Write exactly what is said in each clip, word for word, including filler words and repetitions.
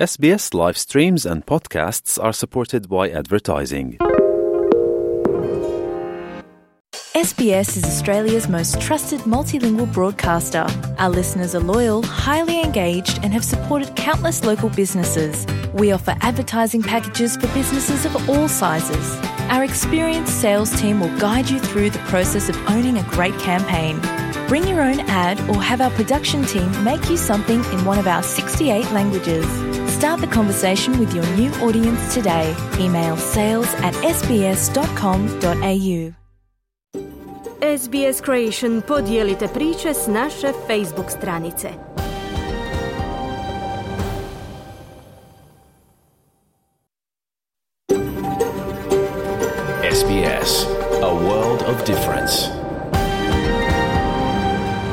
S B S live streams and podcasts are supported by advertising. S B S is Australia's most trusted multilingual broadcaster. Our listeners are loyal, highly engaged, and have supported countless local businesses. We offer advertising packages for businesses of all sizes. Our experienced sales team will guide you through the process of owning a great campaign. Bring your own ad or have our production team make you something in one of our sixty-eight languages. Start the conversation with your new audience today. Email sales at s b s dot com dot a u. S B S Creation podijelite priče s naše Facebook stranice. S B S, a world of difference.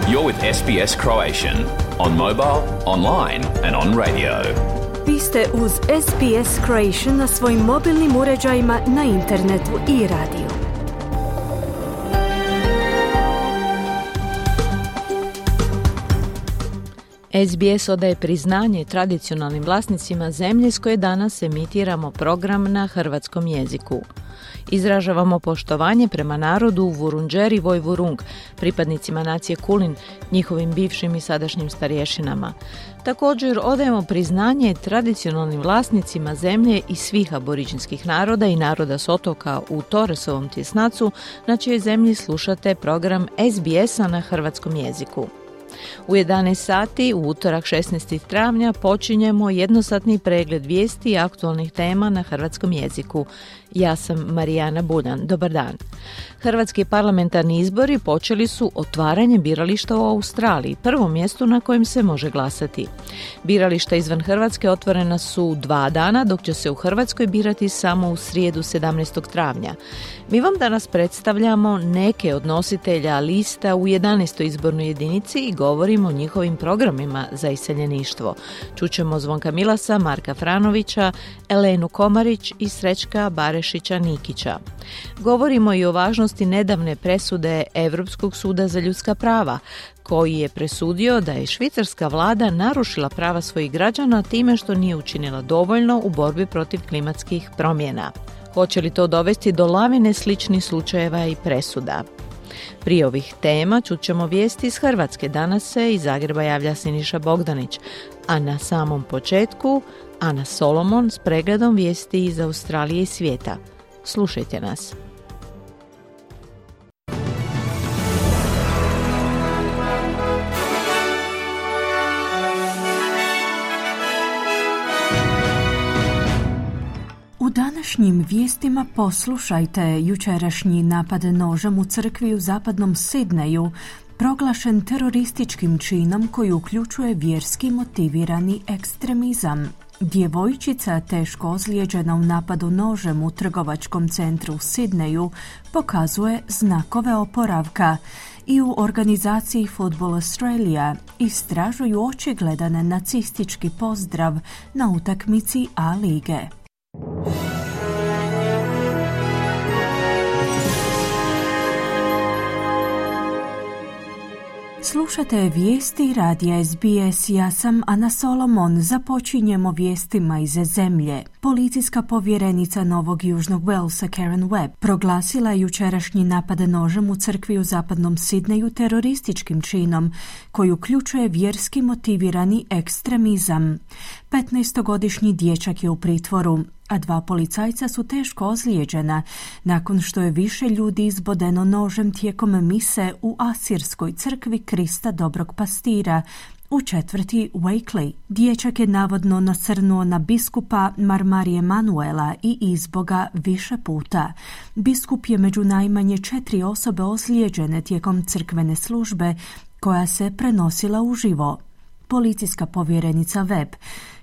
You're with S B S Croatian on mobile, online and on radio. Vi ste uz S B S Creation na svojim mobilnim uređajima, na internetu i radiju. S B S odaje priznanje tradicionalnim vlasnicima zemlje s koje danas emitiramo program na hrvatskom jeziku. Izražavamo poštovanje prema narodu Vurundjeri Vojvurung, pripadnicima nacije Kulin, njihovim bivšim i sadašnjim starješinama. Također odajemo priznanje tradicionalnim vlasnicima zemlje i svih aboriđinskih naroda i naroda s otoka u Torresovom tjesnacu, na čijoj zemlji slušate program S B S-a na hrvatskom jeziku. U jedanaest sati, u utorak šesnaestog travnja, počinjemo jednosatni pregled vijesti i aktualnih tema na hrvatskom jeziku. Ja sam Marijana Buljan. Dobar dan. Hrvatski parlamentarni izbori počeli su otvaranjem birališta u Australiji, prvom mjestu na kojem se može glasati. Birališta izvan Hrvatske otvorena su dva dana, dok će se u Hrvatskoj birati samo u srijedu sedamnaestog travnja. Mi vam danas predstavljamo neke od nositelja lista u jedanaestoj izbornoj jedinici i govorimo o njihovim programima za iseljeništvo. Čućemo Zvonka Milasa, Marka Franovića, Elenu Komarić i Srećka Barešića-Nikića. Govorimo i o važnosti nedavne presude Europskog suda za ljudska prava, koji je presudio da je švicarska vlada narušila prava svojih građana time što nije učinila dovoljno u borbi protiv klimatskih promjena. Hoće li to dovesti do lavine sličnih slučajeva i presuda? Prije ovih tema čućemo vijesti iz Hrvatske. Danas se iz Zagreba javlja Siniša Bogdanić, a na samom početku Ana Solomon s pregledom vijesti iz Australije i svijeta. Slušajte nas. U današnjim vijestima poslušajte jučerašnji napad nožem u crkvi u zapadnom Sidneju, proglašen terorističkim činom koji uključuje vjerski motivirani ekstremizam. Djevojčica teško ozlijeđena u napadu nožem u trgovačkom centru u Sidneju pokazuje znakove oporavka i u organizaciji Football Australia istražuju očigledan nacistički pozdrav na utakmici A lige. Slušate vijesti radija S B S, ja sam Ana Solomon. Započinjemo vijestima iz zemlje. Policijska povjerenica Novog Južnog Walesa Karen Webb proglasila jučerašnji napad nožem u crkvi u zapadnom Sidneju terorističkim činom koji uključuje vjerski motivirani ekstremizam. petnaestogodišnji dječak je u pritvoru, a dva policajca su teško ozlijeđena nakon što je više ljudi izbodeno nožem tijekom mise u asirskoj crkvi Krista Dobrog Pastira u četvrti Wakeley. Dječak je navodno nasrnuo na biskupa Marmarije Manuela i izboga više puta. Biskup je među najmanje četiri osobe ozlijeđene tijekom crkvene službe koja se prenosila uživo. Policijska povjerenica Webb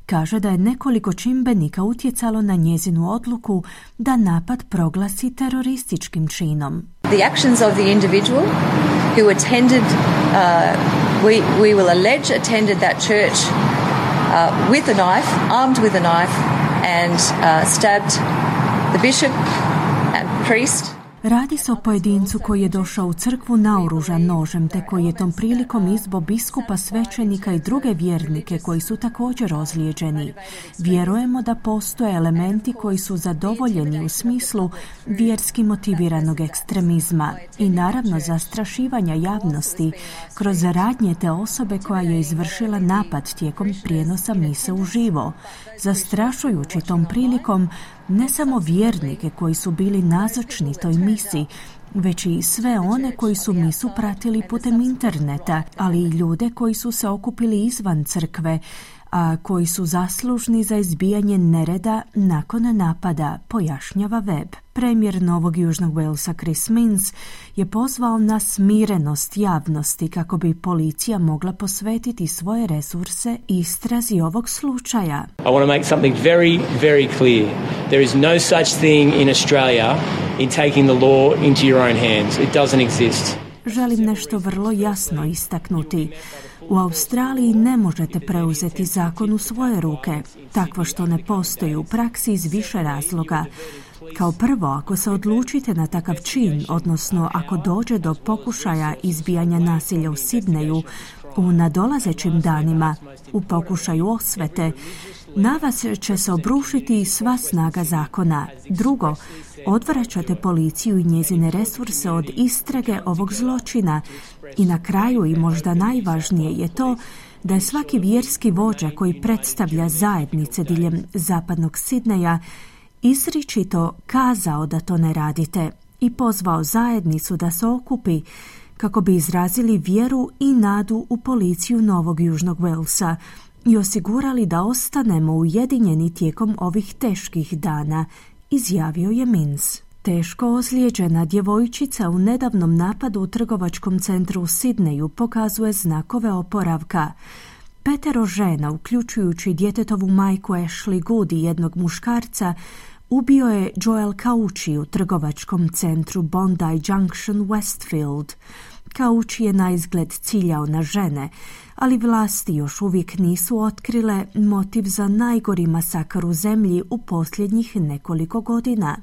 kaže da je nekoliko čimbenika utjecalo na njezinu odluku da napad proglasi terorističkim činom. The actions of the individual who attended, uh, we, we will allege attended that church uh, with a knife, armed with a knife, and uh, stabbed the bishop and priest. Radi se o pojedincu koji je došao u crkvu naoružan nožem, te koji je tom prilikom izbo biskupa, svećenika i druge vjernike koji su također ozlijeđeni. Vjerujemo da postoje elementi koji su zadovoljeni u smislu vjerski motiviranog ekstremizma i naravno zastrašivanja javnosti kroz radnje te osobe koja je izvršila napad tijekom prijenosa mise uživo, zastrašujući tom prilikom ne samo vjernike koji su bili nazočni toj misi, već i sve one koji su misu pratili putem interneta, ali i ljude koji su se okupili izvan crkve, a koji su zaslužni za izbijanje nereda nakon napada, pojašnjava Webb. Premijer Novog Južnog Walesa Chris Minns je pozvao na smirenost javnosti kako bi policija mogla posvetiti svoje resurse istrazi ovog slučaja. I want to make something very, very clear. There is no such thing in Australia in taking the law into your own hands. It doesn't exist. Želim nešto vrlo jasno istaknuti. U Australiji ne možete preuzeti zakon u svoje ruke, takvo što ne postoji u praksi iz više razloga. Kao prvo, ako se odlučite na takav čin, odnosno ako dođe do pokušaja izbijanja nasilja u Sidneju u nadolazećim danima, u pokušaju osvete, na vas će se obrušiti sva snaga zakona. Drugo, odvraćate policiju i njezine resurse od istrage ovog zločina. I na kraju, i možda najvažnije, je to da je svaki vjerski vođa koji predstavlja zajednice diljem zapadnog Sidneja izričito kazao da to ne radite i pozvao zajednicu da se okupi kako bi izrazili vjeru i nadu u policiju Novog Južnog Walesa i osigurali da ostanemo ujedinjeni tijekom ovih teških dana, izjavio je Minns. Teško ozlijeđena djevojčica u nedavnom napadu u trgovačkom centru u Sidneju pokazuje znakove oporavka. Petero žena, uključujući djetetovu majku Ashley Good i jednog muškarca, ubio je Joel Kauchi u trgovačkom centru Bondi Junction, Westfield. Kauchi je na izgled ciljao na žene, ali vlasti još uvijek nisu otkrile motiv za najgori masakar u zemlji u posljednjih nekoliko godina.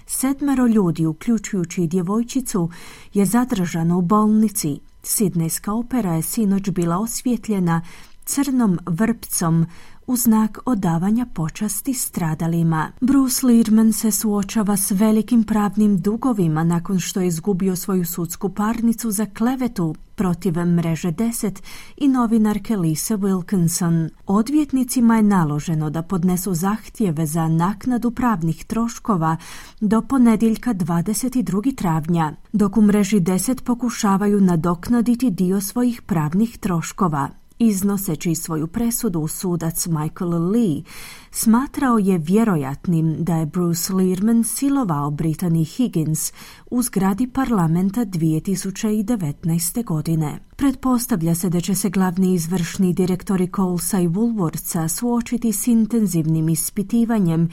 Sedmero ljudi, uključujući i djevojčicu, je zadržano u bolnici. Sidnejska opera je sinoć bila osvjetljena crnom vrpcom u znak odavanja počasti stradalima. Bruce Lehrman se suočava s velikim pravnim dugovima nakon što je izgubio svoju sudsku parnicu za klevetu protiv mreže deset i novinarke Lise Wilkinson. Odvjetnicima je naloženo da podnesu zahtjeve za naknadu pravnih troškova do ponedjeljka dvadeset drugog travnja, dok u mreži deset pokušavaju nadoknaditi dio svojih pravnih troškova. Iznoseći svoju presudu, sudac Michael Lee smatrao je vjerojatnim da je Bruce Lehrman silovao Brittany Higgins u zgradi parlamenta dvije tisuće devetnaeste. godine. Pretpostavlja se da će se glavni izvršni direktori Colesa i Woolworthsa suočiti s intenzivnim ispitivanjem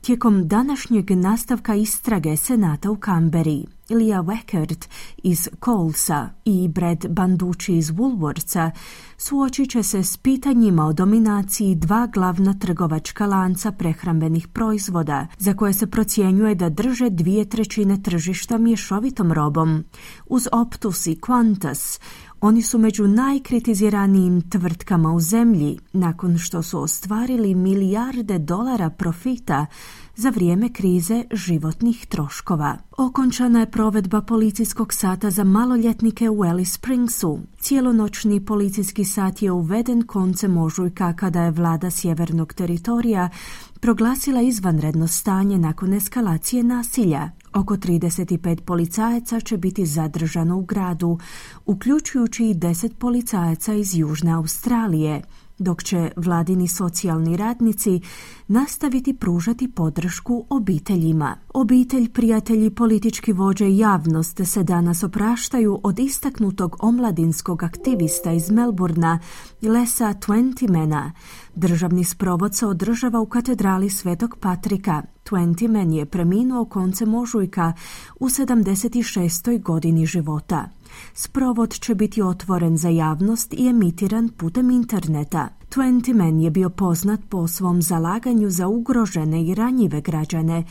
tijekom današnjeg nastavka istrage Senata u Canberri. Leah Weckert iz Colesa i Brad Banducci iz Woolworthsa suočit će se s pitanjima o dominaciji dva glavna trgovačka lanca prehrambenih proizvoda, za koje se procjenjuje da drže dvije trećine tržišta mješovitom robom. Uz Optus i Qantas, oni su među najkritiziranijim tvrtkama u zemlji nakon što su ostvarili milijarde dolara profita za vrijeme krize životnih troškova. Okončana je provedba policijskog sata za maloljetnike u Alice Springsu. Cijelonoćni policijski sat je uveden koncem ožujka kada je vlada sjevernog teritorija proglasila izvanredno stanje nakon eskalacije nasilja. Oko trideset pet policajaca će biti zadržano u gradu, uključujući i deset policajaca iz Južne Australije, dok će vladini socijalni radnici nastaviti pružati podršku obiteljima. Obitelj, prijatelji, politički vođe i javnost se danas opraštaju od istaknutog omladinskog aktivista iz Melbourna, Lesa Twentymana. Državni sprovod se održava u katedrali Svetog Patrika. Twentyman je preminuo koncem ožujka u sedamdeset šestoj godini života. Sprovod će biti otvoren za javnost i emitiran putem interneta. Twentyman je bio poznat po svom zalaganju za ugrožene i ranjive građane,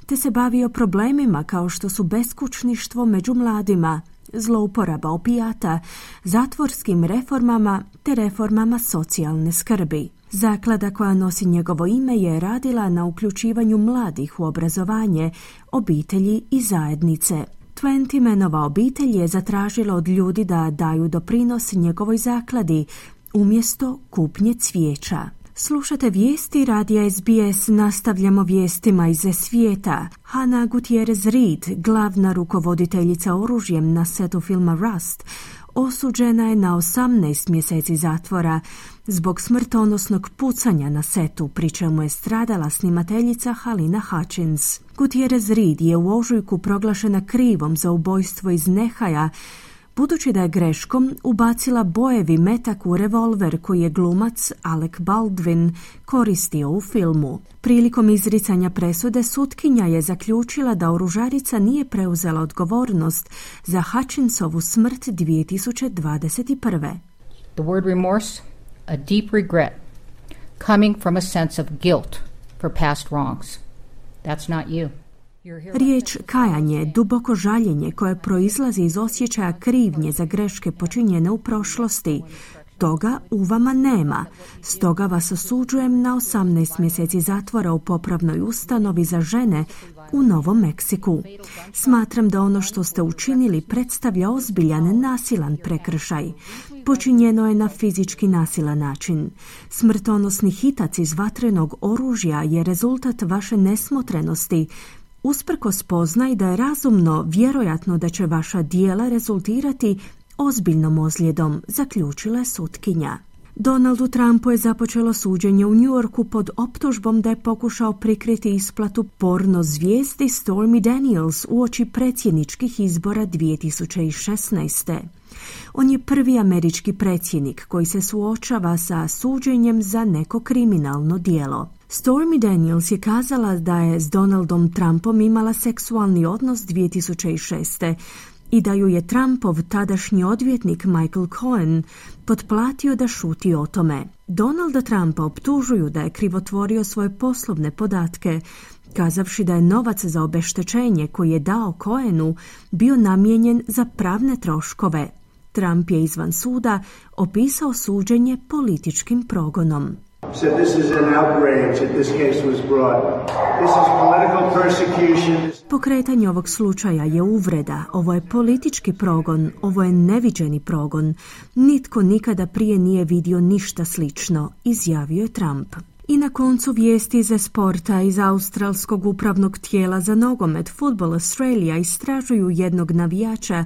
te se bavio problemima kao što su beskućništvo među mladima, zlouporaba opijata, zatvorskim reformama te reformama socijalne skrbi. Zaklada koja nosi njegovo ime je radila na uključivanju mladih u obrazovanje, obitelji i zajednice. Twentymanova obitelj je zatražila od ljudi da daju doprinos njegovoj zakladi umjesto kupnje cvijeća. Slušate vijesti radija S B S, nastavljamo vijestima iz svijeta. Hannah Gutierrez Reed, glavna rukovoditeljica oružjem na setu filma Rust, osuđena je na osamnaest mjeseci zatvora zbog smrtonosnog pucanja na setu, pri čemu je stradala snimateljica Halina Hutchins. Gutierrez Reed je u ožujku proglašena krivom za ubojstvo iz nehaja, budući da je greškom ubacila bojevi metak u revolver koji je glumac Alec Baldwin koristio u filmu. Prilikom izricanja presude sutkinja je zaključila da oružarica nije preuzela odgovornost za Hutchinsovu smrt dvije tisuće dvadeset prve. The word remorse, a deep regret, coming from a sense of guilt for past wrongs. That's not you. Riječ kajanje, duboko žaljenje koje proizlazi iz osjećaja krivnje za greške počinjene u prošlosti. Toga u vama nema. Stoga vas osuđujem na osamnaest mjeseci zatvora u popravnoj ustanovi za žene u Novom Meksiku. Smatram da ono što ste učinili predstavlja ozbiljan nasilan prekršaj. Počinjeno je na fizički nasilan način. Smrtonosni hitac iz vatrenog oružja je rezultat vaše nesmotrenosti, usprkos spoznaj da je razumno vjerojatno da će vaša djela rezultirati ozbiljnom ozljedom, zaključila je sutkinja. Donaldu Trumpu je započelo suđenje u New Yorku pod optužbom da je pokušao prikriti isplatu porno zvijezdi Stormy Daniels uoči predsjedničkih izbora dvije tisuće šesnaeste. On je prvi američki predsjednik koji se suočava sa suđenjem za neko kriminalno djelo. Stormy Daniels je kazala da je s Donaldom Trumpom imala seksualni odnos dvije tisuće šeste i da ju je Trumpov tadašnji odvjetnik Michael Cohen potplatio da šuti o tome. Donalda Trumpa optužuju da je krivotvorio svoje poslovne podatke, kazavši da je novac za obeštećenje koji je dao Cohenu bio namijenjen za pravne troškove. Trump je izvan suda opisao suđenje političkim progonom. Said this is an outrage that this case was brought. This is political persecution. Pokretanje ovog slučaja je uvreda, ovo je politički progon, ovo je neviđeni progon. Nitko nikada prije nije vidio ništa slično, izjavio je Trump. I na koncu vijesti iz sporta iz australskog upravnog tijela za nogomet Football Australia istražuju jednog navijača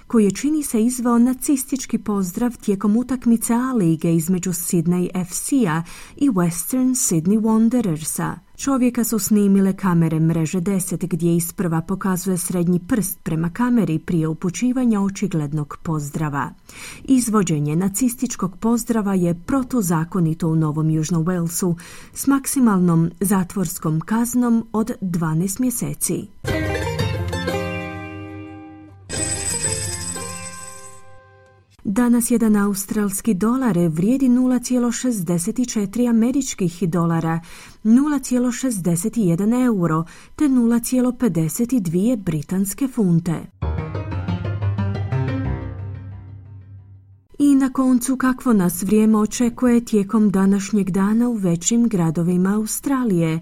koji je, čini se, izveo nacistički pozdrav tijekom utakmice A lige između Sydney F C-a i Western Sydney Wanderersa. Čovjeka su snimile kamere mreže deset gdje isprva pokazuje srednji prst prema kameri prije upućivanja očiglednog pozdrava. Izvođenje nacističkog pozdrava je protuzakonito u Novom Južnom Walesu s maksimalnom zatvorskom kaznom od dvanaest mjeseci. Danas jedan australski dolar vrijedi nula zarez šezdeset četiri američkih dolara, nula zarez šezdeset jedan euro te nula zarez pedeset dvije britanske funte. I na koncu kakvo nas vrijeme očekuje tijekom današnjeg dana u većim gradovima Australije.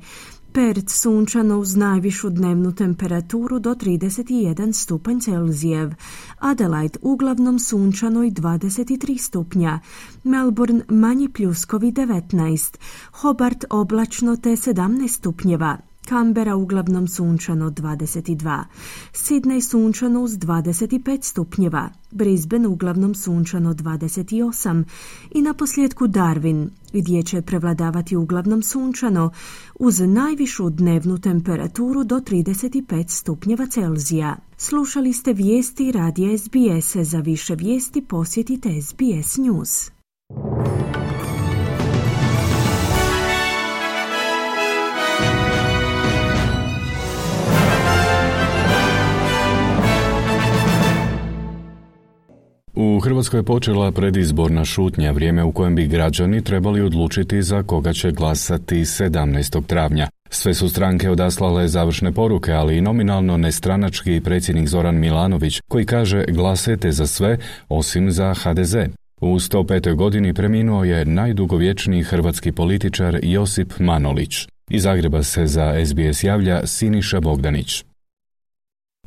Perth sunčano uz najvišu dnevnu temperaturu do trideset jedan stupanj Celzijev, Adelaide uglavnom sunčano i dvadeset tri stupnja, Melbourne manji pljuskovi devetnaest, Hobart oblačno te sedamnaest stupnjeva, Canberra uglavnom sunčano dvadeset dva, Sydney sunčano uz dvadeset pet stupnjeva, Brisbane uglavnom sunčano dvadeset osam i naposljetku Darwin gdje će prevladavati uglavnom sunčano uz najvišu dnevnu temperaturu do trideset pet stupnjeva Celzija. Slušali ste vijesti radija S B S. Za više vijesti posjetite S B S News. U Hrvatskoj je počela predizborna šutnja, vrijeme u kojem bi građani trebali odlučiti za koga će glasati sedamnaestog travnja. Sve su stranke odaslale završne poruke, ali i nominalno nestranački predsjednik Zoran Milanović, koji kaže glasajte za sve osim za ha de ze. U sto petoj godini preminuo je najdugovječniji hrvatski političar Josip Manolić. Iz Zagreba se za es be es javlja Siniša Bogdanić.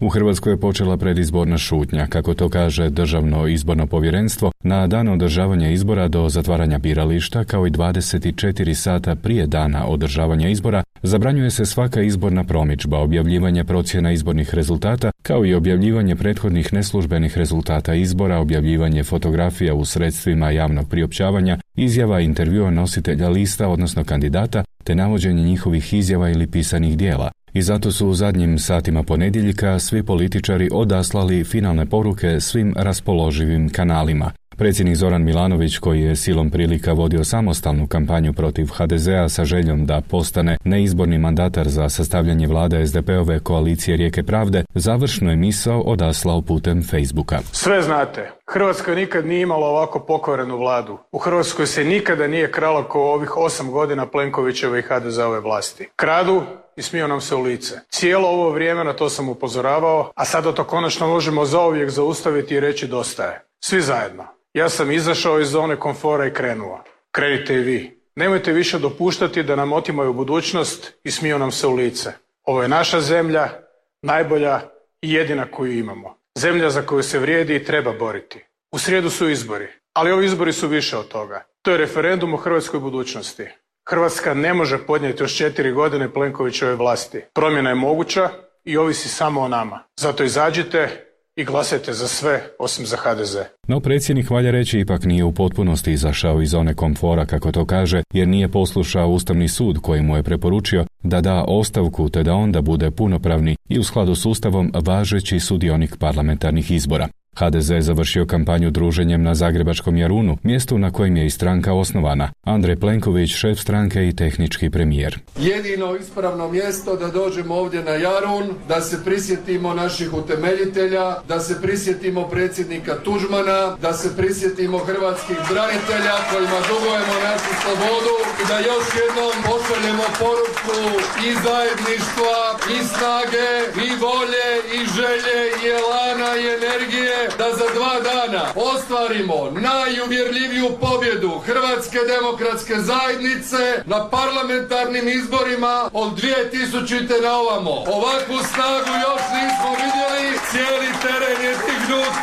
U Hrvatskoj je počela predizborna šutnja, kako to kaže Državno izborno povjerenstvo, na dan održavanja izbora do zatvaranja birališta, kao i dvadeset četiri sata prije dana održavanja izbora, zabranjuje se svaka izborna promidžba, objavljivanje procjena izbornih rezultata, kao i objavljivanje prethodnih neslužbenih rezultata izbora, objavljivanje fotografija u sredstvima javnog priopćavanja, izjava intervjua nositelja lista, odnosno kandidata, te navođenje njihovih izjava ili pisanih dijela. I zato su u zadnjim satima ponedjeljka svi političari odaslali finalne poruke svim raspoloživim kanalima. Predsjednik Zoran Milanović, koji je silom prilika vodio samostalnu kampanju protiv ha de zea sa željom da postane neizborni mandatar za sastavljanje vlade es de pe-ove koalicije Rijeke pravde, završnu je misao odaslao putem Facebooka. Sve znate, Hrvatska nikad nije imala ovako pokvarenu vladu. U Hrvatskoj se nikada nije kralo kao ovih osam godina Plenkovićeve i ha de zeove vlasti. Kradu i smiju nam se u lice. Cijelo ovo vrijeme na to sam upozoravao, a sada to konačno možemo zauvijek zaustaviti i reći dosta je. Svi zajedno. Ja sam izašao iz zone komfora i krenuo. Krenite i vi. Nemojte više dopuštati da nam otimaju budućnost i smiju nam se u lice. Ovo je naša zemlja, najbolja i jedina koju imamo. Zemlja za koju se vrijedi i treba boriti. U srijedu su izbori, ali ovi izbori su više od toga. To je referendum o hrvatskoj budućnosti. Hrvatska ne može podnijeti još četiri godine Plenkovićeve vlasti. Promjena je moguća i ovisi samo o nama. Zato izađite i glasajte za sve osim za ha de ze. No predsjednik, valja reći, ipak nije u potpunosti izašao iz zone komfora, kako to kaže, jer nije poslušao Ustavni sud koji mu je preporučio da da ostavku te da onda bude punopravni i u skladu s Ustavom važeći sudionik parlamentarnih izbora. ha de ze je završio kampanju druženjem na zagrebačkom Jarunu, mjestu na kojem je i stranka osnovana. Andrej Plenković, šef stranke i tehnički premijer. Jedino ispravno mjesto da dođemo ovdje na Jarun, da se prisjetimo naših utemeljitelja, da se prisjetimo predsjednika Tuđmana, da se prisjetimo hrvatskih branitelja kojima dugujemo našu slobodu i da još jednom pošaljemo poruku i zajedništva, i snage, i volje, i želje, i elana, i energije, da za dva dana ostvarimo najuvjerljiviju pobjedu Hrvatske demokratske zajednice na parlamentarnim izborima od dvije tisućite na ovamo. Ovakvu snagu još nismo vidjeli, cijeli teren je dignut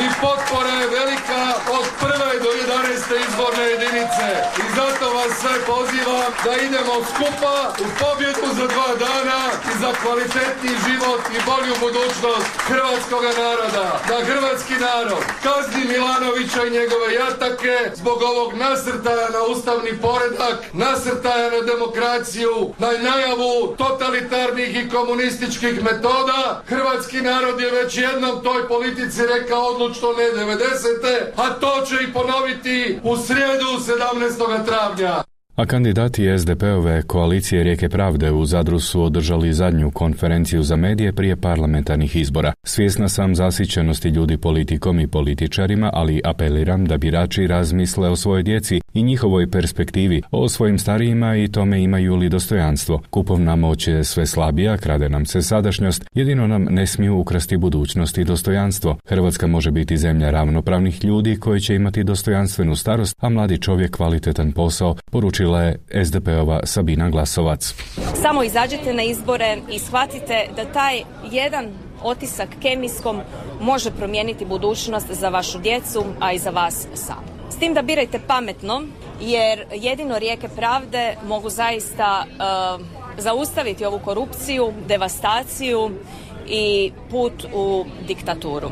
i potpora je velika od prve do jedanaeste izborne jedinice. I zato vas sve pozivam da idemo skupa u pobjedu za dva dana i za kvalitetniji život i bolju budućnost hrvatskoga naroda. Da hrvatski narod kazni Milanovića i njegove jatake zbog ovog nasrtaja na ustavni poredak, nasrtaja na demokraciju, na najavu totalitarnih i komunističkih metoda. Hrvatski narod je već jednom toj politici rekao odlučno ne devedesete, a to će i ponoviti u srijedu sedamnaestog travnja. A kandidati es de pe-ove koalicije Rijeke pravde u Zadru su održali zadnju konferenciju za medije prije parlamentarnih izbora. Svjesna sam zasićenosti ljudi politikom i političarima, ali apeliram da birači razmisle o svojoj djeci i njihovoj perspektivi, o svojim starijima i tome imaju li dostojanstvo. Kupovna moć je sve slabija, krade nam se sadašnjost, jedino nam ne smiju ukrasti budućnost i dostojanstvo. Hrvatska može biti zemlja ravnopravnih ljudi koji će imati dostojanstvenu starost, a mladi čovjek kvalitetan posao, poručila je es de pe-ova Sabina Glasovac. Samo izađite na izbore i shvatite da taj jedan otisak kemijskom može promijeniti budućnost za vašu djecu, a i za vas sam. S tim da birajte pametno, jer jedino Rijeke pravde mogu zaista uh, zaustaviti ovu korupciju, devastaciju i put u diktaturu.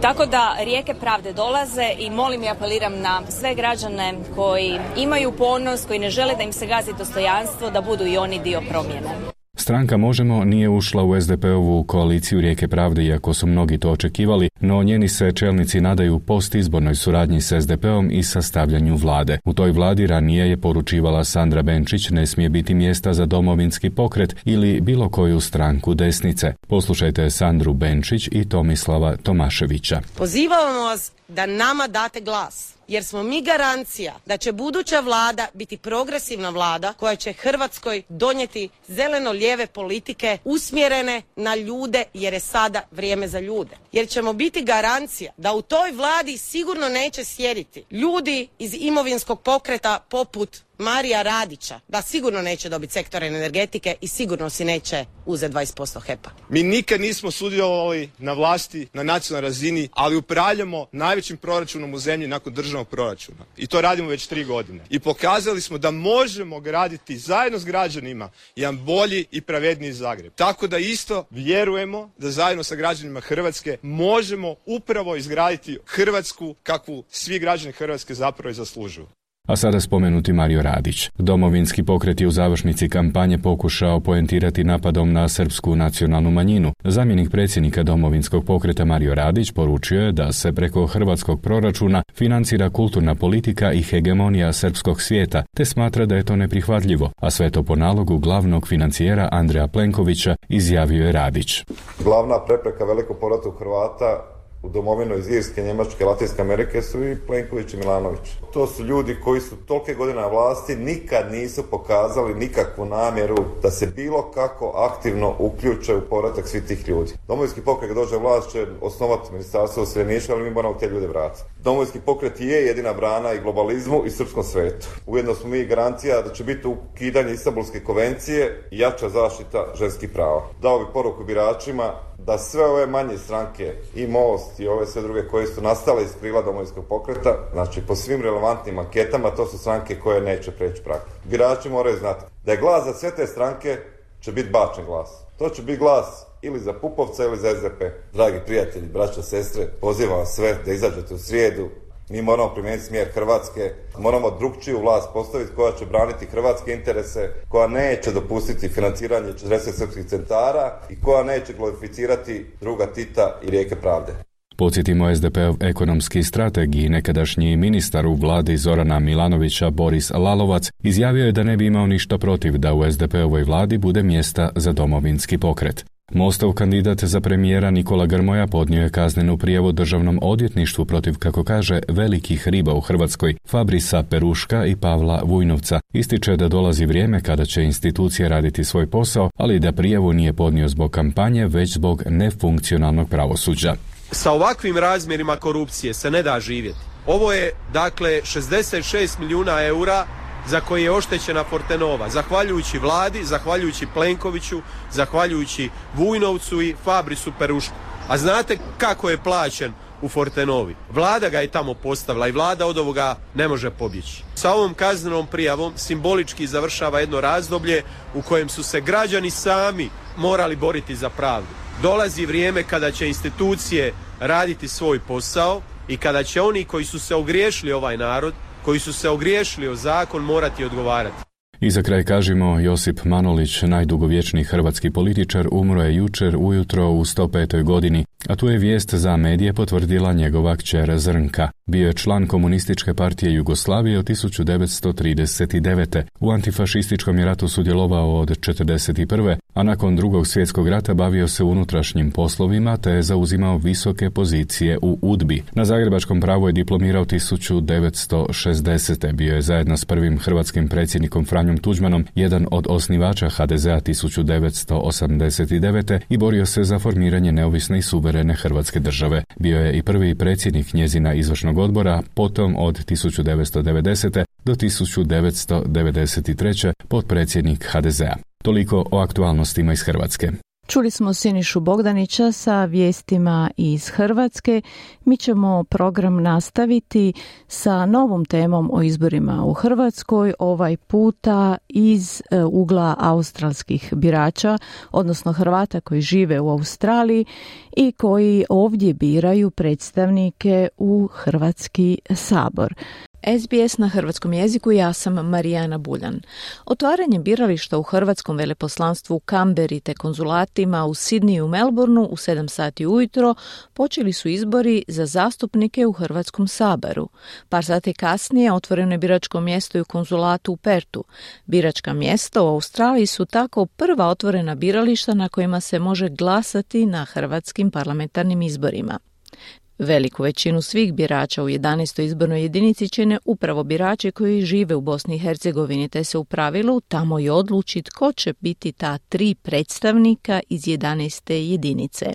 Tako da Rijeke pravde dolaze i molim i apeliram na sve građane koji imaju ponos, koji ne žele da im se gazi dostojanstvo, da budu i oni dio promjene. Stranka Možemo nije ušla u es de pe-ovu koaliciju Rijeke pravde, iako su mnogi to očekivali, no njeni se čelnici nadaju postizbornoj suradnji s es de pe-om i sastavljanju vlade. U toj vladi ranije je poručivala Sandra Benčić ne smije biti mjesta za Domovinski pokret ili bilo koju stranku desnice. Poslušajte Sandru Benčić i Tomislava Tomaševića. Pozivamo vas da nama date glas. Jer smo mi garancija da će buduća vlada biti progresivna vlada koja će Hrvatskoj donijeti zeleno-lijeve politike usmjerene na ljude jer je sada vrijeme za ljude. Jer ćemo biti garancija da u toj vladi sigurno neće sjediti ljudi iz imovinskog pokreta poput Marija Radića, da sigurno neće dobiti sektor energetike i sigurno si neće uzeti dvadeset posto H E P-a. Mi nikad nismo sudjelovali na vlasti na nacionalnoj razini, ali upravljamo najvećim proračunom u zemlji nakon državnog proračuna. I to radimo već tri godine. I pokazali smo da možemo graditi zajedno s građanima jedan bolji i pravedniji Zagreb. Tako da isto vjerujemo da zajedno sa građanima Hrvatske možemo upravo izgraditi Hrvatsku kakvu svi građani Hrvatske zapravo i zaslužuju. A sada spomenuti Mario Radić. Domovinski pokret je u završnici kampanje pokušao poentirati napadom na srpsku nacionalnu manjinu. Zamjenik predsjednika Domovinskog pokreta Mario Radić poručio je da se preko hrvatskog proračuna financira kulturna politika i hegemonija srpskog svijeta, te smatra da je to neprihvatljivo, a sve to po nalogu glavnog financijera Andreja Plenkovića, izjavio je Radić. Glavna prepreka velikog povrata Hrvata u domovinu iz Irske, Njemačke, Latinske Amerike su i Plenković i Milanović. To su ljudi koji su tolike godine na vlasti, nikad nisu pokazali nikakvu namjeru da se bilo kako aktivno uključe u povratak svih tih ljudi. Domovinski pokret kad dođe vlast će osnovati ministarstvo useljeništva, ali mi moramo te ljude vratiti. Domovinski pokret je jedina brana i globalizmu i srpskom svetu. Ujedno smo mi garancija da će biti ukidanje Istanbulske konvencije i jača zaštita ženskih prava. Dao bi poruku biračima da sve ove manje stranke i Most i ove sve druge koje su nastale iz krila Domovinskog pokreta, znači po svim relevantnim anketama, to su stranke koje neće preći prag. Birači moraju znati da je glas za sve te stranke će biti bačen glas. To će biti glas ili za Pupovca ili za S D P. Dragi prijatelji, braćo, sestre, pozivam vas sve da izađete u srijedu. Mi moramo primijeniti smjer Hrvatske, moramo drugčiju vlast postaviti koja će braniti hrvatske interese, koja neće dopustiti financiranje četrdeset srpskih centara i koja neće glorificirati druga Tita i rijeke pravde. Podsjetimo, S D P-ov ekonomski strateg i nekadašnji ministar u vladi Zorana Milanovića Boris Lalovac izjavio je da ne bi imao ništa protiv da u S D P-ovoj vladi bude mjesta za Domovinski pokret. Mostov kandidat za premijera Nikola Grmoja podnio je kaznenu prijavu državnom odvjetništvu protiv, kako kaže, velikih riba u Hrvatskoj, Fabrisa Peruška i Pavla Vujnovca. Ističe da dolazi vrijeme kada će institucije raditi svoj posao, ali da prijavu nije podnio zbog kampanje, već zbog nefunkcionalnog pravosuđa. Sa ovakvim razmjerima korupcije se ne da živjeti. Ovo je, dakle, šezdeset šest milijuna eura za koje je oštećena Fortenova, zahvaljujući vladi, zahvaljujući Plenkoviću, zahvaljujući Vujnovcu i Fabrisu Perušku. A znate kako je plaćen u Fortenovi? Vlada ga je tamo postavila i vlada od ovoga ne može pobjeći. Sa ovom kaznenom prijavom simbolički završava jedno razdoblje u kojem su se građani sami morali boriti za pravdu. Dolazi vrijeme kada će institucije raditi svoj posao i kada će oni koji su se ogriješili ovaj narod, koji su se ogriješili o zakon, morati odgovarati. I za kraj kažemo, Josip Manolić, najdugovječniji hrvatski političar, umro je jučer ujutro u sto petoj godini, a tu je vijest za medije potvrdila njegova kćer Zrnka. Bio je član Komunističke partije Jugoslavije od tisuću devetsto trideset devete. U antifašističkom je ratu sudjelovao od četrdeset prve. a nakon Drugog svjetskog rata bavio se unutrašnjim poslovima te je zauzimao visoke pozicije u UDBI. Na zagrebačkom pravu je diplomirao tisuću devetsto šezdesete. Bio je zajedno s prvim hrvatskim predsjednikom Franjom Tuđmanom jedan od osnivača ha de zea tisuću devetsto osamdeset devete. i borio se za formiranje neovisne i suverene Hrvatske države. Bio je i prvi predsjednik njezina izvršnog odbora, potom od tisuću devetsto devedesete. do tisuću devetsto devedeset treće. potpredsjednik ha de zea. Toliko o aktualnostima iz Hrvatske. Čuli smo Sinišu Bogdanića sa vijestima iz Hrvatske. Mi ćemo program nastaviti sa novom temom o izborima u Hrvatskoj, ovaj puta iz e, ugla australskih birača, odnosno Hrvata koji žive u Australiji i koji ovdje biraju predstavnike u Hrvatski sabor. es bi es na hrvatskom jeziku, ja sam Marijana Buljan. Otvaranje birališta u hrvatskom veleposlanstvu u Kamberi te konzulatima u Sidniju i u Melbourneu u sedam sati ujutro počeli su izbori za zastupnike u Hrvatskom saboru. Par sati kasnije otvoreno je biračko mjesto i u konzulatu u Pertu. Biračka mjesta u Australiji su tako prva otvorena birališta na kojima se može glasati na hrvatskim parlamentarnim izborima. Veliku većinu svih birača u jedanaestoj izbornoj jedinici čine upravo birači koji žive u Bosni i Hercegovini, te se u pravilu tamo i odluči tko će biti ta tri predstavnika iz jedanaeste jedinice.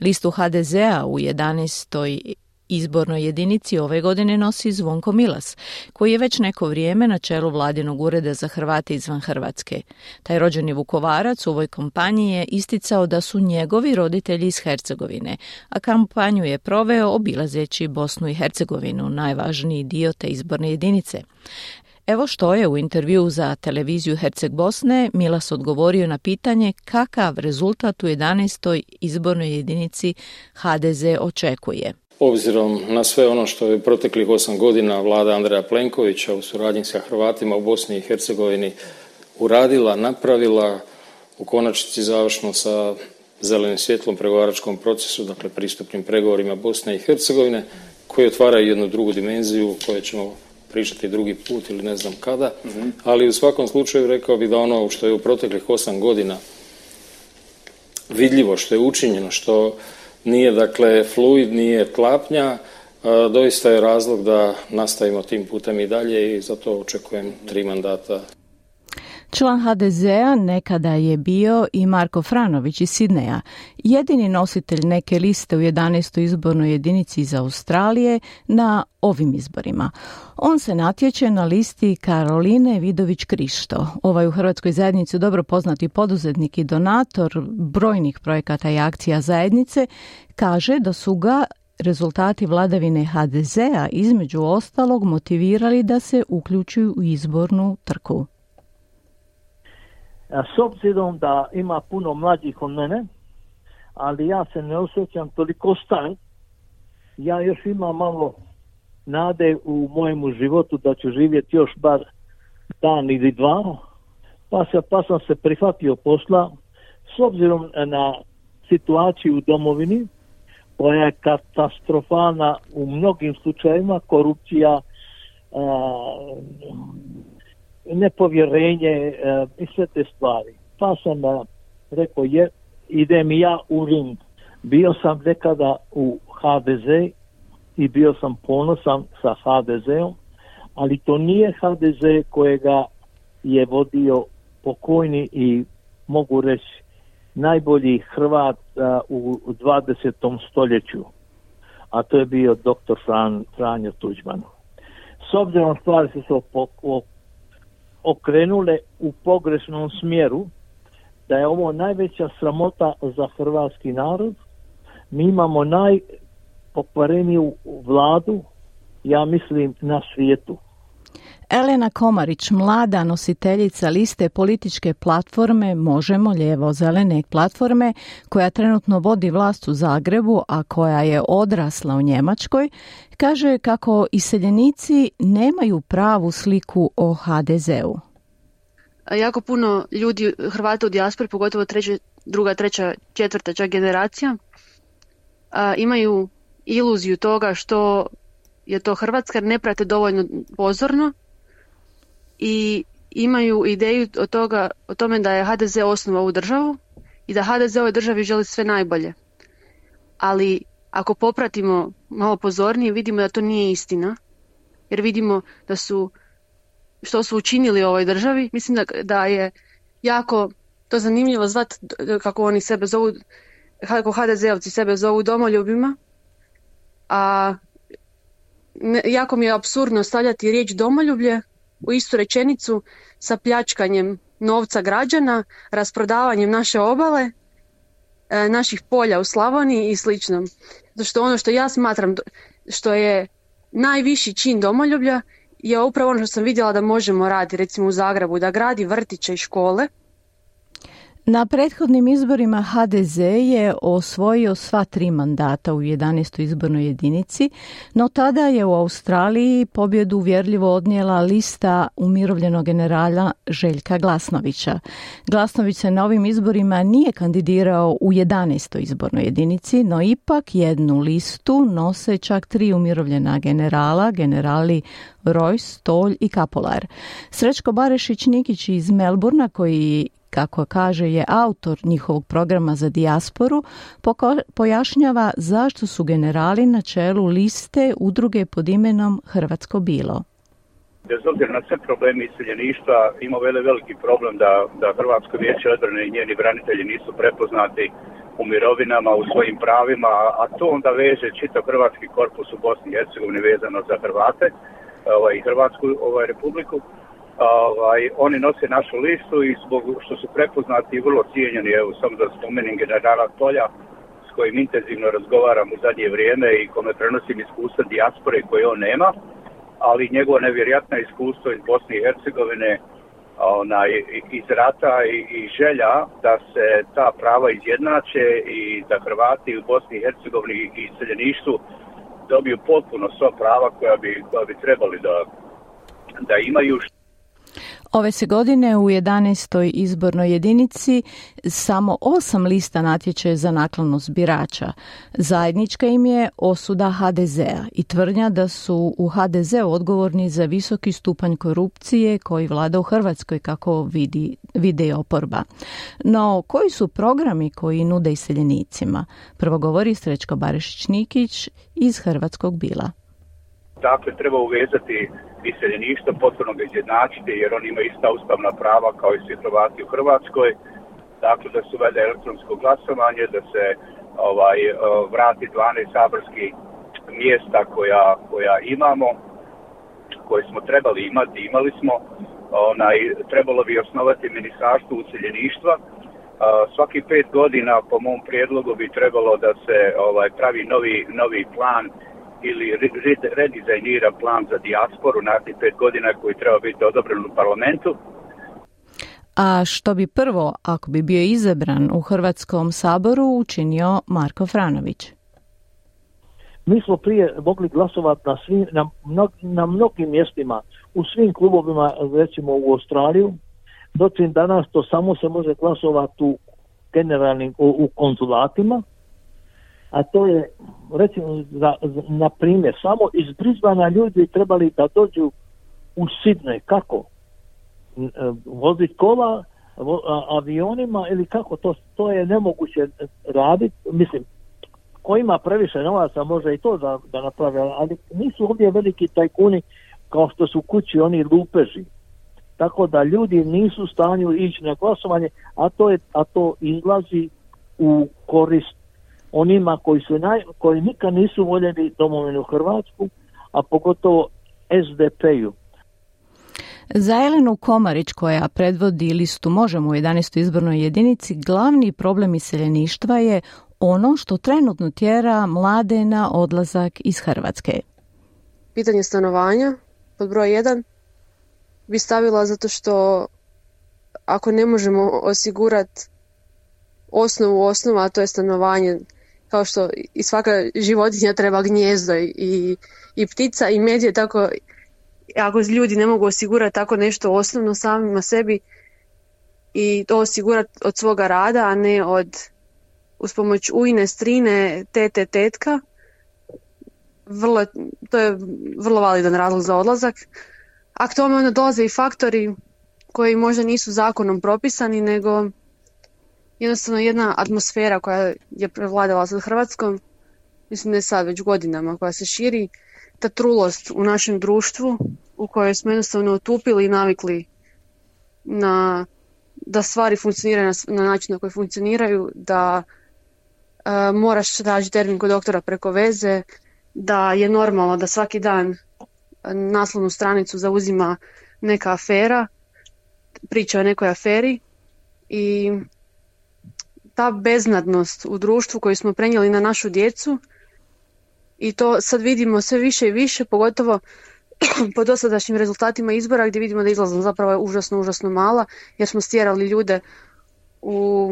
Listu ha de zea u jedanaestoj izbornoj jedinici ove godine nosi Zvonko Milas, koji je već neko vrijeme na čelu Vladinog ureda za Hrvate izvan Hrvatske. Taj rođeni Vukovarac u ovoj kampanji je isticao da su njegovi roditelji iz Hercegovine, a kampanju je proveo obilazeći Bosnu i Hercegovinu, najvažniji dio te izborne jedinice. Evo što je u intervjuu za televiziju Herceg Bosne Milas odgovorio na pitanje kakav rezultat u jedanaestoj izbornoj jedinici ha de ze očekuje. Obzirom na sve ono što je proteklih osam godina vlada Andreja Plenkovića u suradnji sa Hrvatima u Bosni i Hercegovini uradila, napravila, u konačnici završno sa zelenim svjetlom pregovaračkom procesu, dakle pristupnim pregovorima Bosne i Hercegovine, koji otvaraju jednu drugu dimenziju o kojoj ćemo pričati drugi put ili ne znam kada, mm-hmm. ali u svakom slučaju rekao bih da ono što je u proteklih osam godina vidljivo, što je učinjeno, što nije dakle fluid, nije tlapnja, doista je razlog da nastavimo tim putem i dalje i zato očekujem tri mandata. Član ha de zea nekada je bio i Marko Franović iz Sidneja, jedini nositelj neke liste u jedanaestoj izbornoj jedinici iz Australije na ovim izborima. On se natječe na listi Karoline Vidović-Krišto. Ovaj u hrvatskoj zajednici dobro poznati poduzetnik i donator brojnih projekata i akcija zajednice kaže da su ga rezultati vladavine ha de zea između ostalog motivirali da se uključuju u izbornu trku. S obzirom da ima puno mlađih od mene, ali ja se ne osjećam toliko star, ja još imam malo nade u mojemu životu da ću živjeti još bar dan ili dva, pa, se, pa sam se prihvatio posla s obzirom na situaciju u domovini, koja je katastrofalna u mnogim slučajevima, korupcija, a, nepovjerenje uh, i sve te stvari. Pa sam uh, rekao, je, idem i ja u ring. Bio sam nekada u ha de ze i bio sam ponosan sa ha de zeom, ali to nije ha de ze kojega je vodio pokojni i mogu reći najbolji Hrvat uh, u, u dvadesetom stoljeću, a to je bio doktor Fran, Franjo Tuđman. S obzirom stvari su se op- okrenule u pogrešnom smjeru, da je ovo najveća sramota za hrvatski narod. Mi imamo najpokvareniju vladu, ja mislim, na svijetu. Elena Komarić, mlada nositeljica liste političke platforme Možemo, lijevo-zelene platforme, koja trenutno vodi vlast u Zagrebu, a koja je odrasla u Njemačkoj, kaže kako iseljenici nemaju pravu sliku o ha de zeu. Jako puno ljudi, Hrvata u dijaspori, pogotovo treća, druga, treća, četvrta čak generacija, imaju iluziju toga što je to Hrvatska, ne prate dovoljno pozorno i imaju ideju o, toga, o tome da je ha de ze osnovao ovu državu i da ha de ze ovoj državi želi sve najbolje. Ali ako popratimo malo pozornije, vidimo da to nije istina, jer vidimo da su, što su učinili u ovoj državi. Mislim da, da je jako to zanimljivo zvat kako oni sebe zovu, kako ha de zeovci sebe zovu domoljubima, a ne, jako mi je apsurdno stavljati riječ domoljublje u istu rečenicu sa pljačkanjem novca građana, rasprodavanjem naše obale, e, naših polja u Slavoniji i slično. Zato što ono što ja smatram što je najviši čin domoljublja je upravo ono što sam vidjela da Možemo raditi, recimo u Zagrebu, da gradi vrtiće i škole. Na prethodnim izborima ha de ze je osvojio sva tri mandata u jedanaestoj izbornoj jedinici, no tada je u Australiji pobjedu uvjerljivo odnijela lista umirovljenog generala Željka Glasnovića. Glasnović se na ovim izborima nije kandidirao u jedanaestoj izbornoj jedinici, no ipak jednu listu nose čak tri umirovljena generala, generali Rojs, Tolj i Kapolar. Srećko Barešić-Nikić iz Melburna, koji kako kaže je autor njihovog programa za dijasporu, poko- pojašnjava zašto su generali na čelu liste udruge pod imenom Hrvatsko bilo. Bez obzira na sve probleme iseljeništva, ima vele veliki problem da, da Hrvatsko vijeće odbrane i njeni branitelji nisu prepoznati u mirovinama, u svojim pravima, a to onda veže čitav hrvatski korpus u Bosni i Hercegovini vezano za Hrvate ovaj, i Hrvatsku ovaj, republiku. Ovaj, oni nose našu listu i zbog što su prepoznati i vrlo cijenjeni, evo samo da spomenem generala Tolja, s kojim intenzivno razgovaram u zadnje vrijeme i kome prenosim iskustva dijaspore koje on nema, ali njegovo nevjerojatno iskustvo iz Bosne i Hercegovine, onaj, iz rata i, i želja da se ta prava izjednače i da Hrvati u Bosni i Hercegovini i iseljeništvu dobiju potpuno sva prava koja bi, koja bi trebali da, da imaju. Ove se godine u jedanaestoj izbornoj jedinici samo osam lista natječe za naklonost birača. Zajednička im je osuda ha de zea i tvrdnja da su u ha de zeu odgovorni za visoki stupanj korupcije koji vlada u Hrvatskoj, kako vidi, vidi oporba. No, koji su programi koji nude iseljenicima? Prvo govori Srećko Barišić-Nikić iz Hrvatskog bila. Dakle, treba uvezati iseljeništvo, potpuno ga izjednačiti, jer oni imaju ista ustavna prava kao i svi Hrvati u Hrvatskoj. Dakle, da se uvede elektronsko glasovanje, da se ovaj, vrati dvanaest saborskih mjesta koja, koja imamo, koje smo trebali imati, imali smo. Onaj, trebalo bi osnovati ministarstvo useljeništva. Svaki pet godina, po mom prijedlogu, bi trebalo da se ovaj, pravi novi, novi plan ili redizajnira plan za dijasporu narednih pet godina koji treba biti odobren u parlamentu. A što bi prvo, ako bi bio izabran u Hrvatskom saboru, učinio Marko Franović? Mi smo prije mogli glasovati na, svim, na, mnog, na mnogim mjestima, u svim klubovima, recimo u Australiju, dočim danas to samo se može glasovati u generalnim, u, u konzulatima, a to je, recimo, za, na primjer, samo iz Brisbanea ljudi trebali da dođu u Sidney. Kako? Voziti kola, vo, a, avionima ili kako? To, to je nemoguće raditi. Mislim, ko ima previše novaca može i to da, da napravi, ali nisu ovdje veliki tajkuni kao što su kući oni lupeži. Tako da ljudi nisu u stanju ići na glasovanje, a to, je, a to izlazi u korist onima koji su naj, koji nikad nisu voljeli domovinu Hrvatsku, a pogotovo es de pe-u. Za Elenu Komarić, koja predvodi listu Možemo u jedanaestoj izbornoj jedinici, glavni problem iseljeništva je ono što trenutno tjera mlade na odlazak iz Hrvatske. Pitanje stanovanja, pod broj jedan, bi stavila zato što ako ne možemo osigurati osnovu osnova, a to je stanovanje, kao što i svaka životinja treba gnijezdo i, i ptica i medije, tako ako ljudi ne mogu osigurati tako nešto osnovno samima sebi i to osigurati od svoga rada, a ne od uz pomoć ujne, strine, tete, tetka, vrlo, to je vrlo validan razlog za odlazak. A k tome onda dolaze i faktori koji možda nisu zakonom propisani, nego jednostavno jedna atmosfera koja je prevladala sad Hrvatskom, mislim da je sad već godinama, koja se širi, ta trulost u našem društvu u kojoj smo jednostavno otupili i navikli na, da stvari funkcioniraju na, na način na koji funkcioniraju, da uh, moraš tražiti termin kod doktora preko veze, da je normalno da svaki dan naslovnu stranicu zauzima neka afera, priča o nekoj aferi i ta beznadnost u društvu koju smo prenijeli na našu djecu i to sad vidimo sve više i više, pogotovo po dosadašnjim rezultatima izbora gdje vidimo da izlaznost zapravo je užasno, užasno mala jer smo stjerali ljude u,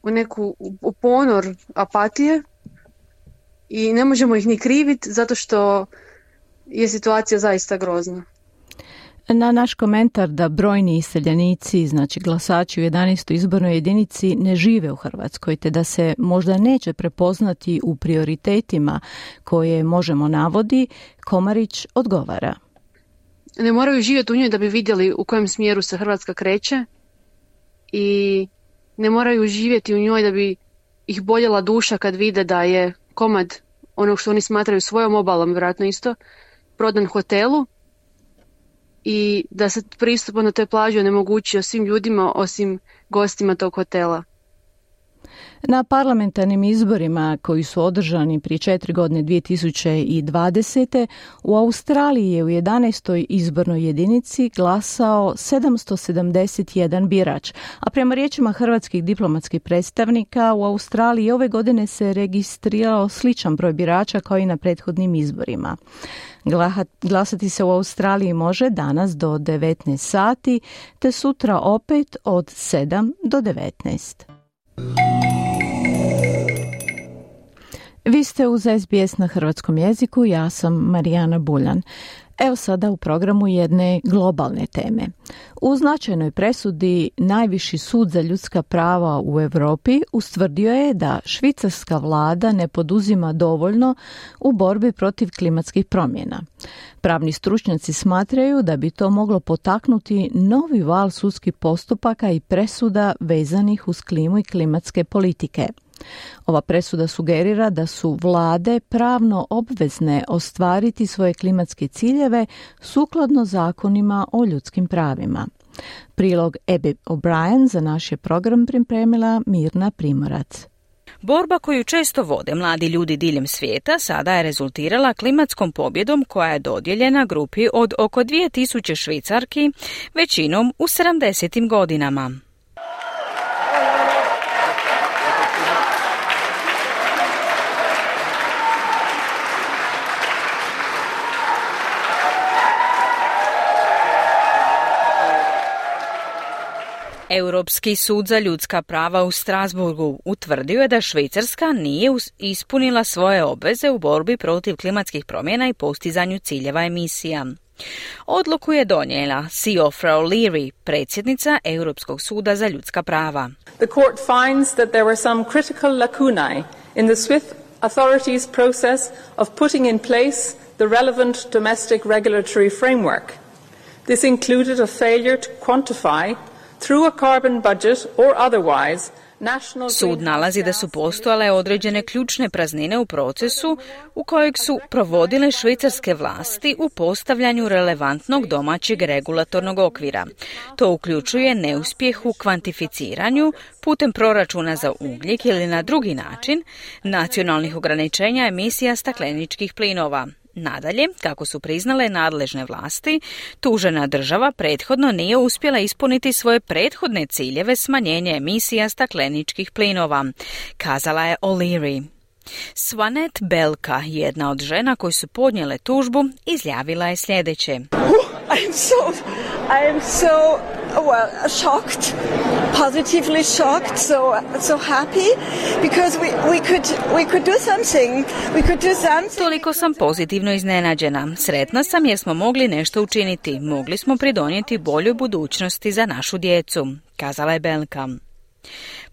u neku u ponor apatije i ne možemo ih ni kriviti zato što je situacija zaista grozna. Na naš komentar da brojni iseljenici, znači glasači u jedanaestoj izbornoj jedinici, ne žive u Hrvatskoj, te da se možda neće prepoznati u prioritetima koje Možemo navodi, Komarić odgovara. Ne moraju živjeti u njoj da bi vidjeli u kojem smjeru se Hrvatska kreće i ne moraju živjeti u njoj da bi ih boljela duša kad vide da je komad onog što oni smatraju svojom obalom, vjerojatno isto, prodan hotelu i da se pristup na toj plaži onemogućio svim ljudima osim gostima tog hotela. Na parlamentarnim izborima koji su održani prije četiri godine dvije tisuće dvadesete. u Australiji je u jedanaestoj izbornoj jedinici glasao sedamsto sedamdeset jedan birač, a prema riječima hrvatskih diplomatskih predstavnika u Australiji ove godine se registrirao sličan broj birača kao i na prethodnim izborima. Glasati se u Australiji može danas do devetnaest sati, te sutra opet od sedam do devetnaest. Vi ste uz S B S na hrvatskom jeziku, ja sam Marijana Buljan. Evo sada u programu jedne globalne teme. U značajnoj presudi Najviši sud za ljudska prava u Europi ustvrdio je da švicarska vlada ne poduzima dovoljno u borbi protiv klimatskih promjena. Pravni stručnjaci smatraju da bi to moglo potaknuti novi val sudskih postupaka i presuda vezanih uz klimu i klimatske politike. Ova presuda sugerira da su vlade pravno obvezne ostvariti svoje klimatske ciljeve sukladno zakonima o ljudskim pravima. Prilog Abby O'Brien za naš je program pripremila Mirna Primorac. Borba koju često vode mladi ljudi diljem svijeta sada je rezultirala klimatskom pobjedom koja je dodijeljena grupi od oko dvije tisuće Švicarki, većinom u sedamdesetim godinama. Europski sud za ljudska prava u Strasburgu utvrdio je da Švicarska nije ispunila svoje obveze u borbi protiv klimatskih promjena i postizanju ciljeva emisija. Odluku je donijela Siofra O'Leary, predsjednica Europskog suda za ljudska prava. The court finds that there were some critical lacunae in the Swiss authorities' process of putting in place the relevant domestic regulatory framework. This included a failure to quantify through a carbon budget or otherwise. Sud nalazi da su postojale određene ključne praznine u procesu u kojeg su provodile švicarske vlasti u postavljanju relevantnog domaćeg regulatornog okvira. To uključuje neuspjeh u kvantificiranju putem proračuna za ugljik ili na drugi način nacionalnih ograničenja emisija stakleničkih plinova. Nadalje, kako su priznale nadležne vlasti, tužena država prethodno nije uspjela ispuniti svoje prethodne ciljeve smanjenja emisija stakleničkih plinova, kazala je O'Leary. Swanet Belka, jedna od žena koji su podnijele tužbu, izjavila je sljedeće. I am so, I am so well shocked, positively shocked, so so happy because we we could we could do something. We could do something. Toliko sam pozitivno iznenađena. Sretna sam jer smo mogli nešto učiniti. Mogli smo pridonijeti boljoj budućnosti za našu djecu, kazala je Belka.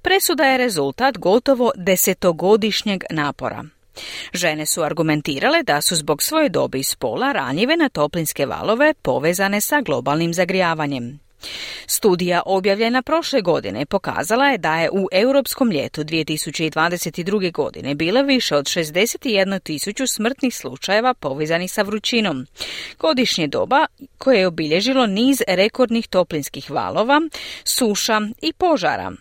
Presuda je rezultat gotovo desetogodišnjeg napora. Žene su argumentirale da su zbog svoje dobi i spola ranjive na toplinske valove povezane sa globalnim zagrijavanjem. Studija objavljena prošle godine pokazala je da je u europskom ljetu dvije tisuće dvadeset druge. godine bilo više od šezdeset jednu tisuću smrtnih slučajeva povezanih sa vrućinom. Godišnje doba koje je obilježilo niz rekordnih toplinskih valova, suša i požara.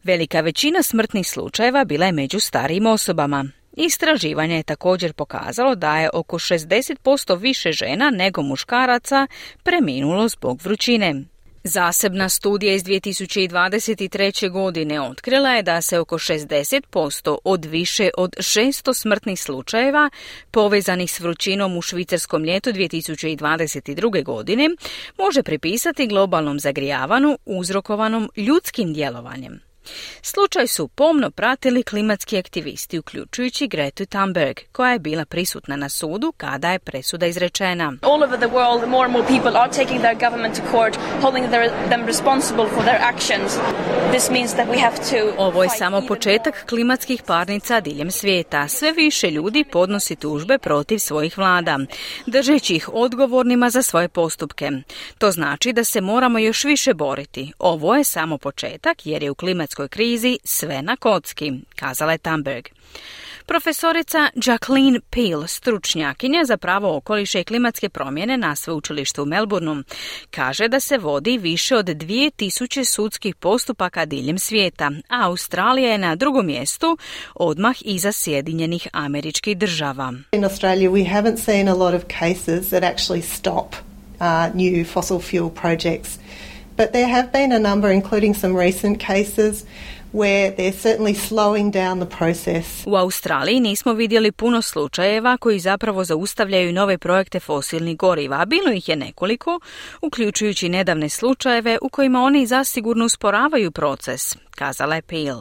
Velika većina smrtnih slučajeva bila je među starijim osobama. Istraživanje je također pokazalo da je oko šezdeset posto više žena nego muškaraca preminulo zbog vrućine. Zasebna studija iz dvije tisuće dvadeset treće. godine otkrila je da se oko šezdeset posto od više od šesto smrtnih slučajeva povezanih s vrućinom u švicarskom ljetu dvije tisuće dvadeset druge. godine može pripisati globalnom zagrijavanu uzrokovanom ljudskim djelovanjem. Slučaj su pomno pratili klimatski aktivisti, uključujući Gretu Thunberg, koja je bila prisutna na sudu kada je presuda izrečena. All over the world, more and more people are taking their government to court, holding their, them responsible for their actions. This means that we have to... Ovo je samo početak klimatskih parnica diljem svijeta. Sve više ljudi podnosi tužbe protiv svojih vlada, držeći ih odgovornima za svoje postupke. To znači da se moramo još više boriti. Ovo je samo početak jer je u klimatskoj krizi sve na kocki, kazala je Thunberg. Profesorica Jacqueline Peel, stručnjakinja za pravo okoliša i klimatske promjene na sveučilištu u Melbourneu, kaže da se vodi više od dvije tisuće sudskih postupaka diljem svijeta, a Australija je na drugom mjestu, odmah iza Sjedinjenih Američkih Država. In Australia we haven't seen a lot of cases that actually stop uh, new fossil fuel projects, but there have been a number, including some recent cases, where they're certainly slowing down the process. U Australiji nismo vidjeli puno slučajeva koji zapravo zaustavljaju nove projekte fosilnih goriva, a bilo ih je nekoliko, uključujući nedavne slučajeve u kojima oni zasigurno usporavaju proces, kazala je Peel.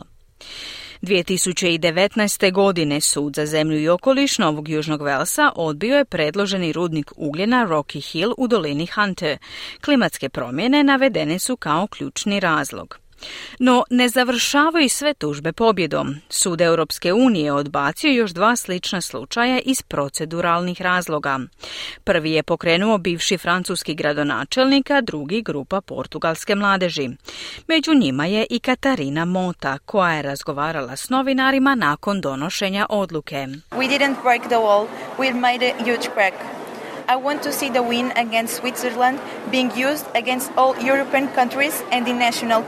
dvije tisuće devetnaeste. godine Sud za zemlju i okoliš Novog Južnog Velsa odbio je predloženi rudnik ugljena Rocky Hill u dolini Hunter. Klimatske promjene navedene su kao ključni razlog. No, ne završavaju sve tužbe pobjedom. Sud Europske unije odbacio još dva slična slučaja iz proceduralnih razloga. Prvi je pokrenuo bivši francuski gradonačelnik, a drugi grupa portugalske mladeži. Među njima je i Katarina Mota, koja je razgovarala s novinarima nakon donošenja odluke. We didn't break the wall, we made a huge crack. I want to see the win against Switzerland being used against all European countries and the national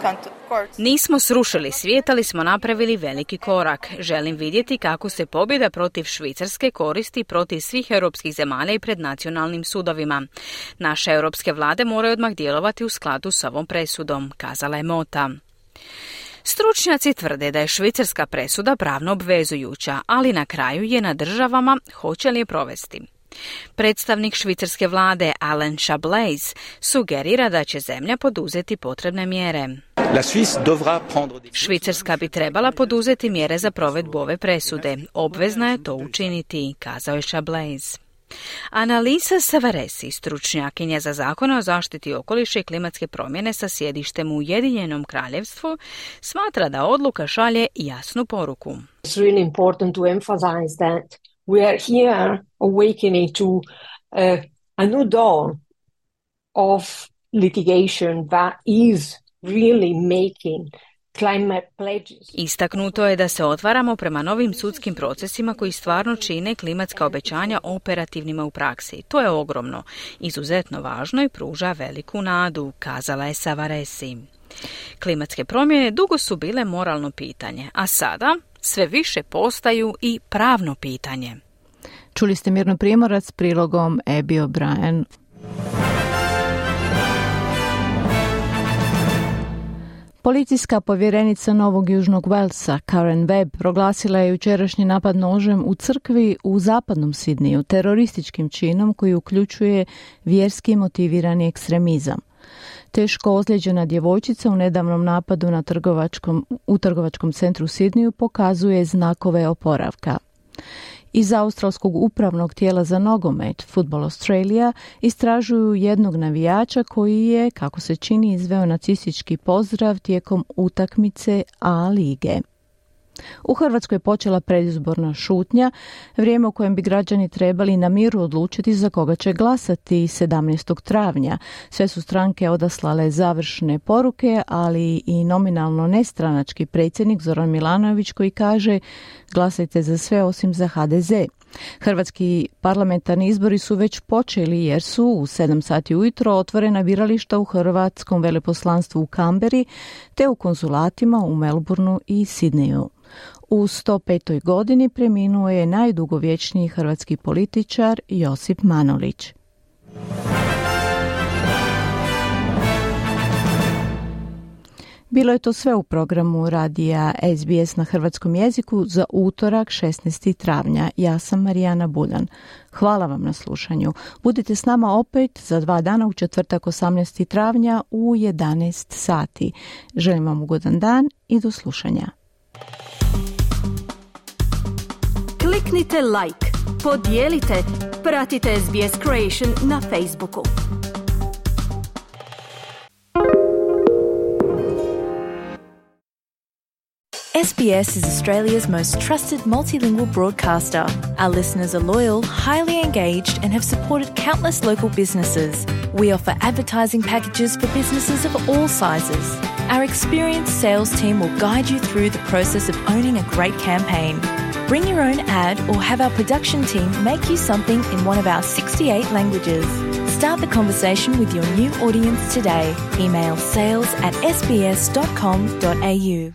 courts. Nismo srušili svijet, ali smo napravili veliki korak. Želim vidjeti kako se pobjeda protiv Švicarske koristi protiv svih europskih zemalja i pred nacionalnim sudovima. Naše europske vlade moraju odmah djelovati u skladu s ovom presudom, kazala je Mota. Stručnjaci tvrde da je švicarska presuda pravno obvezujuća, ali na kraju je na državama hoće li je provesti. Predstavnik švicarske vlade Alain Chablais sugerira da će zemlja poduzeti potrebne mjere. Švicarska bi trebala poduzeti mjere za provedbu ove presude. Obvezna je to učiniti, kazao je Chablais. Annalisa Savaresi, stručnjakinja za zakone o zaštiti okoliša i klimatske promjene sa sjedištem u Ujedinjenom Kraljevstvu, smatra da odluka šalje jasnu poruku. It's really important to emphasize that we are here awakening to uh, a new dawn of litigation that is really making climate pledges. Istaknuto je da se otvaramo prema novim sudskim procesima koji stvarno čine klimatska obećanja operativnima u praksi. To je ogromno, izuzetno važno i pruža veliku nadu, kazala je Savaresi. Klimatske promjene dugo su bile moralno pitanje, a sada sve više postaju i pravno pitanje. Čuli ste Mirnu Primorac s prilogom Abby O'Brien. Policijska povjerenica Novog Južnog Velsa, Karen Webb, proglasila je jučerašnji napad nožem u crkvi u zapadnom Sidniju terorističkim činom koji uključuje vjerski motivirani ekstremizam. Teško ozlijeđena djevojčica u nedavnom napadu na trgovačkom, u trgovačkom centru Sidniju pokazuje znakove oporavka. Iz australskog upravnog tijela za nogomet, Football Australia, istražuju jednog navijača koji je, kako se čini, izveo nacistički pozdrav tijekom utakmice A lige. U Hrvatskoj je počela predizborna šutnja, vrijeme u kojem bi građani trebali na miru odlučiti za koga će glasati sedamnaestog travnja. Sve su stranke odaslale završne poruke, ali i nominalno nestranački predsjednik Zoran Milanović koji kaže glasajte za sve osim za H D Z. Hrvatski parlamentarni izbori su već počeli jer su u sedam sati ujutro otvorena birališta u hrvatskom veleposlanstvu u Kamberi te u konzulatima u Melbourneu i Sidneju. U sto petoj godini preminuo je najdugovječniji hrvatski političar Josip Manolić. Bilo je to sve u programu radija S B S na hrvatskom jeziku za utorak šesnaestog travnja. Ja sam Marijana Buljan. Hvala vam na slušanju. Budite s nama opet za dva dana u četvrtak osamnaestog travnja u jedanaest sati. Želim vam ugodan dan i do slušanja. Kliknite like, podijelite, pratite S B S Creation na Facebooku. S B S is Australia's most trusted multilingual broadcaster. Our listeners are loyal, highly engaged, and have supported countless local businesses. We offer advertising packages for businesses of all sizes. Our experienced sales team will guide you through the process of owning a great campaign. Bring your own ad or have our production team make you something in one of our sixty-eight languages. Start the conversation with your new audience today. Email sales at s b s dot com dot a u.